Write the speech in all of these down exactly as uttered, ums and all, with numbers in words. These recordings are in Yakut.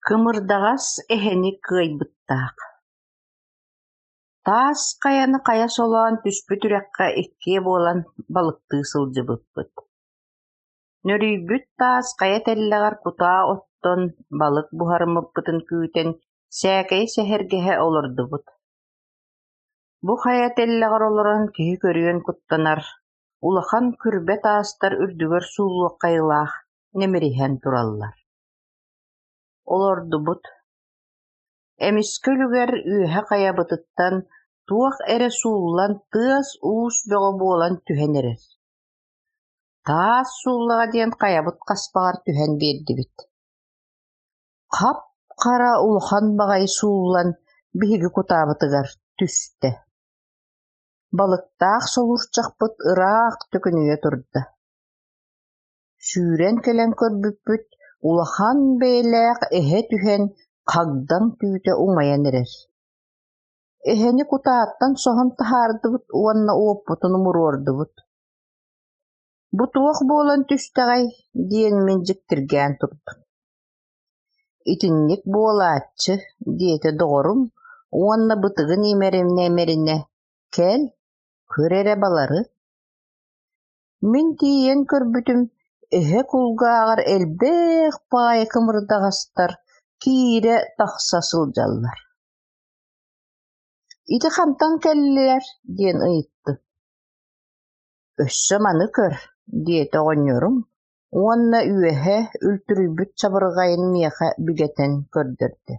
Кымырдаҕас эһэни кыайбыттаах Таас хайаны хайа солоон түспүт үрэххэ иккиэ буолан балыктыы сылдьыбыппыт. Нөрүйбүт таас хайа тэллэҕэр кутаа оттон, балык буһарыммыппытын күүтэн сээкэйи сэһэргэһэ олордубут. Бу хайа тэллэҕэр олорон киһи көрүөн куттанар, улахан күрбэ таастар үрдүгэр сууллуохха айылаах нэмириһэн тураллар. Олордубут. Эмискэ үлүгэр үөһэ хайабытыттан туох эрэ сууллан тыас-уус бөҕө буолан түһэн эрэр. Таас сууллаҕа диэн хайабыт хаспаҕар түһэн биэрдибит. Хап-хара улахан баҕайы сууллан биһиги кутаабытыгар түстэ. Балыктаах солуурчахпыт ыраах төкүнүйэ турда. Сүүрэн кэлэн көрбүппүт, улахан бэйэлээх эһэ түһэн хагдаҥ түүтэ умайан эрэр. Эһэни кутааттан соһон таһаардыбыт уонна уоппутун умуруордубут. Бу туох буолан түстэҕэй диэн мин дьиктиргээн турдум. Итинник буолааччы, диэтэ доҕорум уонна бытыгын имэринэ-имэринэ, кэл, көр эрэ балары. Мин тиийэн көрбүтүм, эһэ кулгааҕар элбэх баҕайы кымырдаҕастар киирэ-тахса сылдьаллар. Ити хантан кэллилэр диэн ыйыттым. Өссө маны көр, диэтэ оҕонньорум уонна үөһэ үлтүрүйбүт чабырҕайын миэхэ бигэтэн көрдөрдө.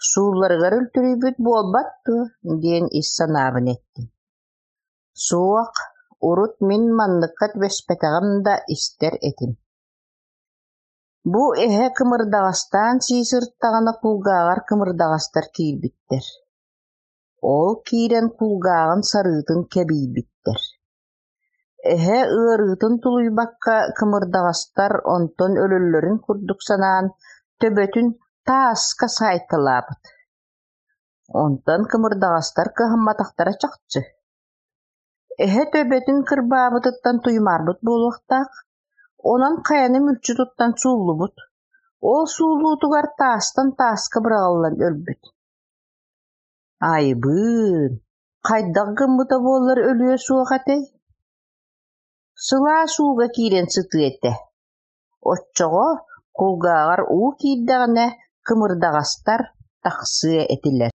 Суулларыгар үлтүрүйбүт буолбат дуо диэн ис санаабын эттим. Суох, урут мин манныкка түбэспэтэҕим да истэр этим. Бу эһэ кымырдаҕастаан сии сырыттаҕына кулгааҕар кымырдаҕастар киирбиттэр. Ол киирэн кулгааҕын сарыытын кэбийбиттэр. Эһэ ыарыытын тулуйбакка кымырдаҕастар онтон өлөллөрүн курдук санаан, төбөтүн тааска саайталаабыт. Онтон кымырдаҕастар кыһамматахтара чахчы. Эһэ төбөтүн кырбаабытыттан туймаарбыт буолуохтаах, онон хайаны мүлчү туттан сууллубут, ол сууллуутугар таастан тааска быраҕыллан өлбүт. Айыбыын, хайдах гыммыта буоллар өлүө суох этэй? Сылаас ууга киирэн сытыа этэ, оччоҕо кулгааҕар уу киирдэҕинэ кымырдаҕастар тахсыа этилэр.